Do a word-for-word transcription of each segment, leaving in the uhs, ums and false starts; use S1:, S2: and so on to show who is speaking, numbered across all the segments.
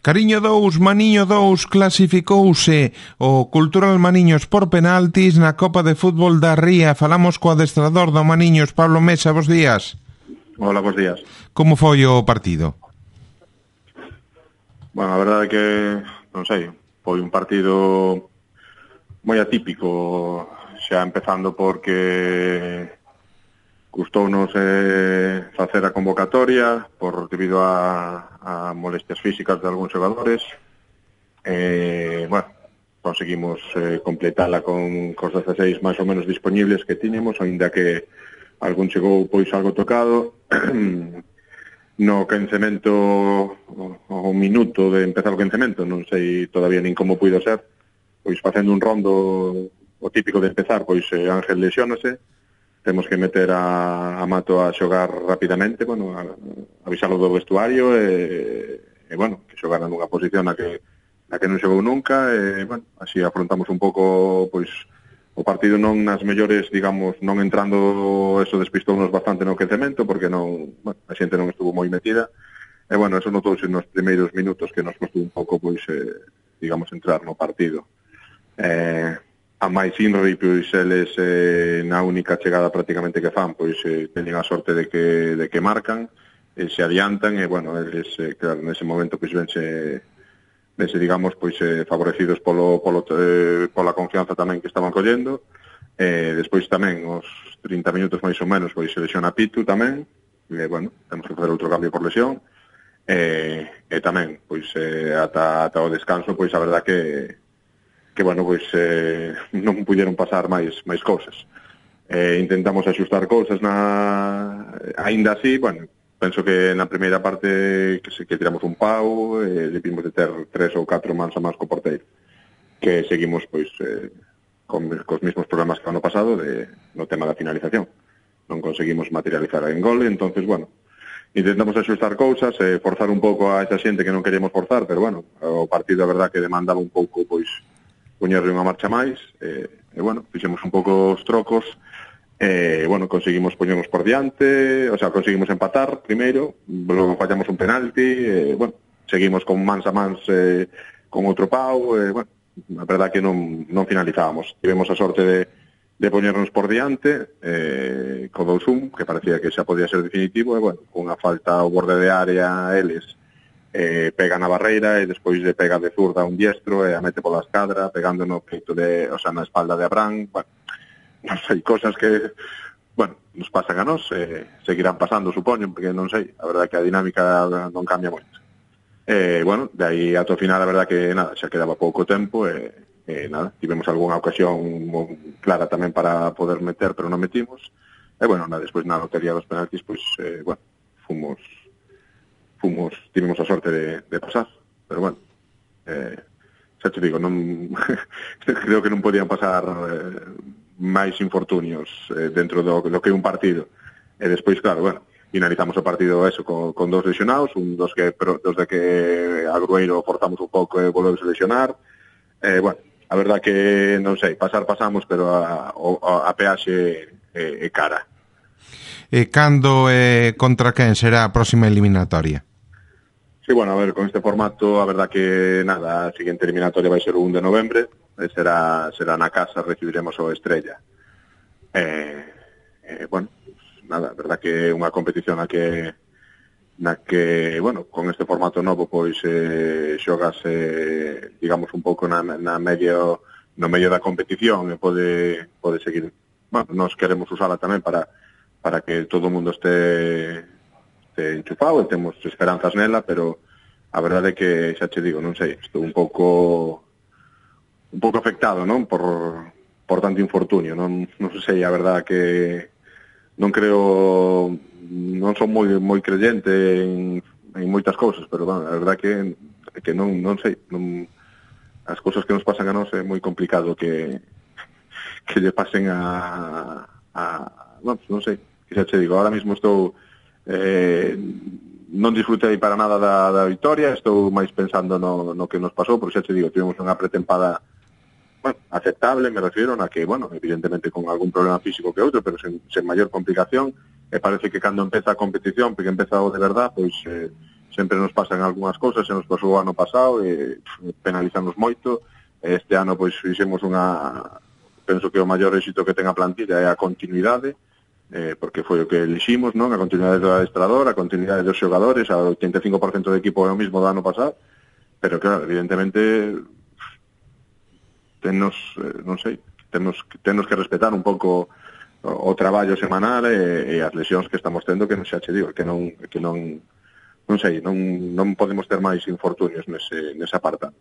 S1: Cariño dous, Maniño dous, clasificouse o Cultural Maniños por penaltis na Copa de Fútbol da Ría. Falamos co adestrador do Maniños, Pablo Mesa, bos días.
S2: Hola, bos días.
S1: Como foi o partido?
S2: Bueno, a verdade é que, non sei, foi un partido moi atípico, xa empezando porque custounos eh, facer a convocatoria por debido a, a molestias físicas de algúns xogadores. Eh, bueno, conseguimos eh, completala con cos dezasseis máis ou menos disponibles que tiñemos, aínda que algún chegou pois algo tocado. No quencemento, o minuto de empezar o quencemento, non sei todavía nin como puido ser, pois facendo un rondo o típico de empezar, pois eh, Ángel lesionase, temos que meter a, a Mato a xogar rapidamente, bueno, a, a avisalo do vestuario e, e bueno, que xogara nunha posición na que, na que non xogou nunca e, bueno, así afrontamos un pouco, pois, o partido non nas mellores, digamos, non entrando, eso despistounos bastante no quecemento, porque non, bueno, a xente non estuvo moi metida, e, bueno, eso notouse nos primeiros minutos que nos costou un pouco, pois, eh, digamos, entrar no partido. Eh, a máis Inri, pois eles eh, na única chegada prácticamente que fan, pois eh, teñen a sorte de que, de que marcan, eh, se adiantan e, bueno, eles, eh, claro, nese momento pois vense, vense digamos, pois eh, favorecidos polo, polo, eh, pola confianza tamén que estaban collendo. Eh, despois tamén, os trinta minutos máis ou menos, pois se lesiona Pitu tamén, e, bueno, temos que facer outro cambio por lesión, e, e tamén, pois, eh, ata, ata o descanso, pois a verdad que que, bueno, pois eh, non puderon pasar máis máis cousas. Eh, intentamos axustar cousas na... Ainda así, bueno, penso que na primeira parte que, se, que tiramos un pau, eh, debimos de ter tres ou catro mans a mans co porteiro. Que seguimos, pois, eh, con, cos mismos problemas que ano pasado de, no tema da finalización. Non conseguimos materializar en gol, entonces, bueno, intentamos axustar cousas, eh, forzar un pouco a esa xente que non queríamos forzar, pero, bueno, o partido, a verdad, que demandaba un pouco, pois, poñerle unha marcha máis, e, e bueno, fixemos un pouco os trocos, e, bueno, conseguimos poñernos por diante, o sea, conseguimos empatar primeiro, logo fallamos un penalti, e, bueno, seguimos con mans a mans eh, con outro pau, e, bueno, a verdad que non, non finalizábamos. Tivemos a sorte de, de poñernos por diante, eh, co dous un, que parecía que xa podía ser definitivo, e, bueno, unha falta ao borde de área, eles, eh, pega na barreira e despois de pega de zurda un diestro e a mete pola escadra pegando no peito de, o sea, na espalda de Abraham. Bueno, non sei, cosas que, bueno, nos pasan a nós, eh, seguirán pasando, supoño, porque non sei, a verdade que a dinámica non cambia moito. Eh, bueno, de aí ata o final, a verdade que nada, xa quedaba pouco tempo e, e nada, tivemos algunha ocasión clara tamén para poder meter, pero non metimos. E bueno, nada, despois na lotería dos penaltis, pois, eh, bueno, fomos fomos, tivemos a sorte de, de pasar, pero bueno, eh, xa te digo, non creo que non podían pasar eh, máis infortunios eh, dentro do, do que é un partido, e despois, claro, bueno, finalizamos o partido eso con, con dos lesionados, un dos que dos de que a Grueiro forzamos un pouco e volvemos a lesionar, eh, bueno, a verdad que, non sei, pasar pasamos, pero a, a, a peaxe é, é cara.
S1: E cando e eh, contra quen será a próxima eliminatoria?
S2: Sí, bueno, a ver, con este formato, a verdad que nada, a seguinte eliminatoria vai ser o un de novembre, e será, será na casa, recibiremos o Estrella. Eh, eh, bueno, nada, a verdad que é unha competición na que, na que, bueno, con este formato novo, pois, eh, xogas, eh, digamos, un pouco na, na medio, no medio da competición, e pode, pode seguir, bueno, nós queremos usala tamén para, para que todo o mundo este... enchufado e temos esperanzas nela, pero a verdade é que xa che digo, non sei, estou un pouco un pouco afectado, non? Por, por tanto infortunio, non, non sei, a verdade que non creo, non son moi moi creyente en, en moitas cousas, pero bueno, a verdade que que non non sei, non, as cousas que nos pasan a nós é moi complicado que que lle pasen a a, non, non sei, que xa che digo, ahora mismo estou Eh, non disfrutei para nada da, da victoria, estou máis pensando no, no que nos pasou, porque xa te digo, tivemos unha pretempada, bueno, aceptable, me refiero, na que, bueno, evidentemente con algún problema físico que outro, pero sen, sen maior complicación, e parece que cando empeza a competición, porque empeza o de verdad, pois eh, sempre nos pasan algunhas cousas, se nos pasou o ano pasado, e penalizamos moito. Este ano, pois, fixemos unha, penso que o maior éxito que ten a plantilla é a continuidade, eh, porque foi o que eliximos, non? A continuidade do adestrador, a continuidade dos xogadores, a oitenta e cinco por ciento do equipo é o mismo do ano pasado, pero claro, evidentemente tennos, eh, non sei, tennos, tennos que respetar un pouco o, o traballo semanal e, e as lesións que estamos tendo, que non xa che digo, que non, que non, non sei, non, non podemos ter máis infortunios nese, nese apartado.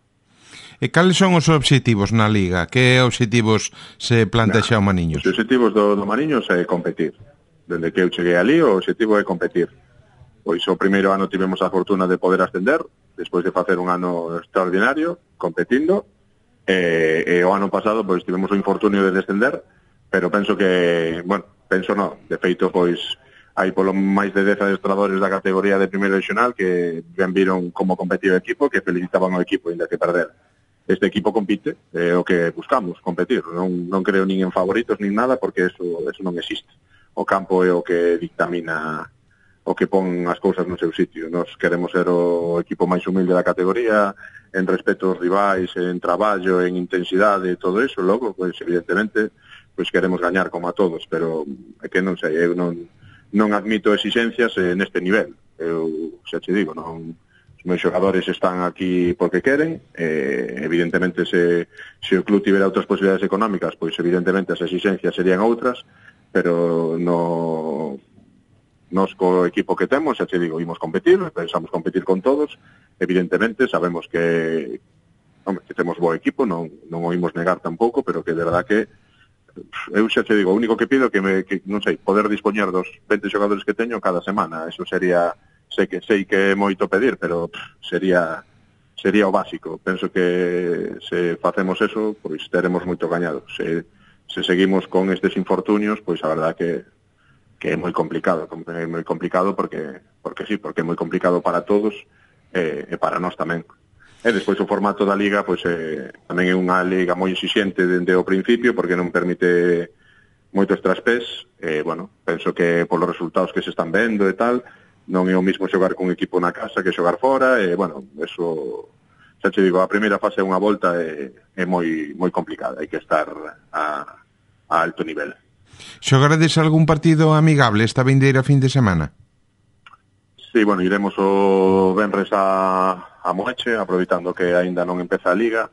S1: E cales son os obxectivos na Liga? Que obxectivos se plantexa o Maniños?
S2: Os obxectivos do, do Maniños é competir. Dende que eu cheguei ali, o obxectivo é competir. Pois o primeiro ano tivemos a fortuna de poder ascender, despois de facer un ano extraordinario, competindo, e, e o ano pasado pois tivemos o infortunio de descender, pero penso que, bueno, penso non, de feito pois hai polo máis de dez adestradores da categoría de primeiro regional que ben viron como competía o equipo, que felicitaban ao equipo ainda que perder. Este equipo compite, é o que buscamos, competir. Non, non creo nin en favoritos nin nada, porque eso, eso non existe. O campo é o que dictamina, o que pon as cousas no seu sitio. Nos queremos ser o equipo máis humilde da categoría, en respeto aos rivais, en traballo, en intensidade e todo eso. Logo, pois, evidentemente, pois queremos gañar como a todos, pero é que non sei, eu non, non admito exixencias eh, neste nivel. Eu xa che digo, non... Os meus xogadores están aquí porque queren, eh, evidentemente se, se o club tivera outras posibilidades económicas, pois evidentemente as exixencias serían outras, pero no nos co equipo que temos, xa te digo, imos competir, pensamos competir con todos, evidentemente sabemos que, hombre, que temos bo equipo, non, non o imos negar tampouco, pero que de verdad que eu xa te digo, o único que pido que, me, que non sei, poder dispoñer dos vinte xogadores que teño cada semana, eso sería... sei que sei que é moito pedir, pero pff, sería sería o básico. Penso que se facemos eso, pois teremos moito gañado. Se, se seguimos con estes infortunios, pois a verdad que que é moi complicado, é moi complicado porque porque sí, porque é moi complicado para todos e, e para nós tamén. E despois o formato da liga, pois eh, tamén é unha liga moi exixente dende o principio porque non permite moitos traspés, e bueno, penso que polos resultados que se están vendo e tal, non é o mismo xogar con equipo na casa que xogar fora, e, bueno, eso, xa te digo, a primeira fase é unha volta e é moi moi complicada, hai que estar a, a alto nivel.
S1: Xogarades algún partido amigable esta vindeira fin de semana?
S2: Sí, bueno, iremos o venres a, a Moeche, aproveitando que aínda non empeza a Liga,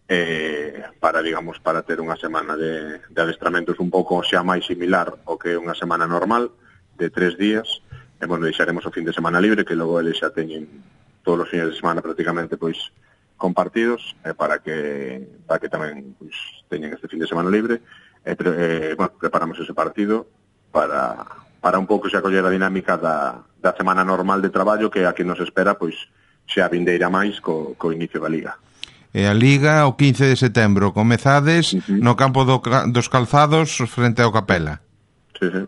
S2: eh, para, digamos, para ter unha semana de, de adestramentos un pouco xa máis similar ao que unha semana normal, de tres días. E, bueno, deixaremos o fin de semana libre, que logo eles xa teñen todos os fines de semana prácticamente pois compartidos, eh, para que para que tamén pois teñen este fin de semana libre, e eh, bueno, preparamos ese partido para para un pouco xa coller a dinámica da, da semana normal de traballo, que a que nos espera pois xa vindeira máis co, co inicio da Liga.
S1: E a Liga o quince de setembro comezades uh-huh. no campo do, dos Calzados frente ao Capela.
S2: Sí, sí.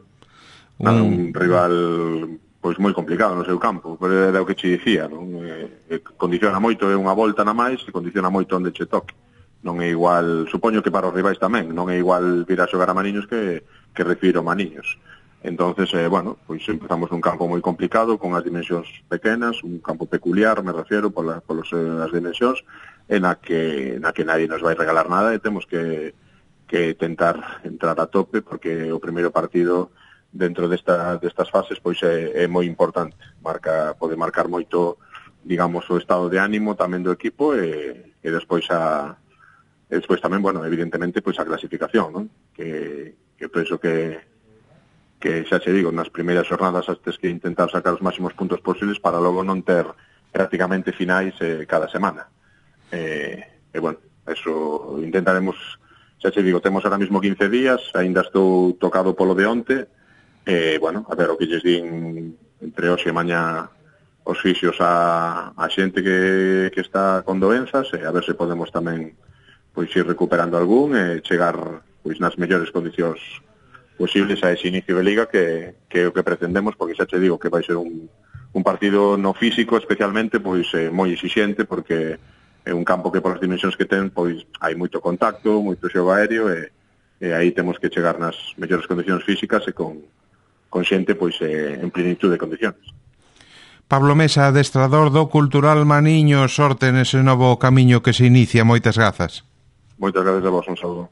S2: Nada, un rival pois moi complicado no seu campo, pero era o que che dicía, non? Eh, condiciona moito, é unha volta na máis, e condiciona moito onde che toque. Non é igual, supoño que para os rivais tamén, non é igual vir a xogar a Maniños que, que recibir o Maniños. Entonces, eh, bueno, pois empezamos nun campo moi complicado, con as dimensións pequenas, un campo peculiar, me refiero, polas polos, eh, as dimensións, en a que, na que nadie nos vai regalar nada, e temos que, que tentar entrar a tope, porque o primeiro partido dentro desta, destas fases pois é, é moi importante, marca, pode marcar moito, digamos, o estado de ánimo tamén do equipo, e, e despois a e despois tamén, bueno, evidentemente pois a clasificación, non? Que, que penso que que xa che digo, nas primeiras xornadas has que intentar sacar os máximos puntos posibles para logo non ter prácticamente finais eh, cada semana. E, e bueno, eso intentaremos, xa che digo, temos ahora mismo quince días, aínda estou tocado polo de onte. Eh, bueno, a ver o que lles din entre hoxe e mañá os fisios a, a xente que, que está con doenzas, e a ver se podemos tamén pois ir recuperando algún e chegar pois nas mellores condicións posibles a ese inicio de Liga, que, que é o que pretendemos, porque xa te digo que vai ser un, un partido no físico especialmente pois eh, moi exixente, porque é un campo que polas dimensións que ten pois hai moito contacto, moito xogo aéreo, e, e aí temos que chegar nas mellores condicións físicas e con con xente pois eh, en plenitud de condicións.
S1: Pablo Mesa, adestrador do Cultural Maniños, sorte nese novo camiño que se inicia. Moitas grazas.
S2: Moitas gracias a vos, un saludo.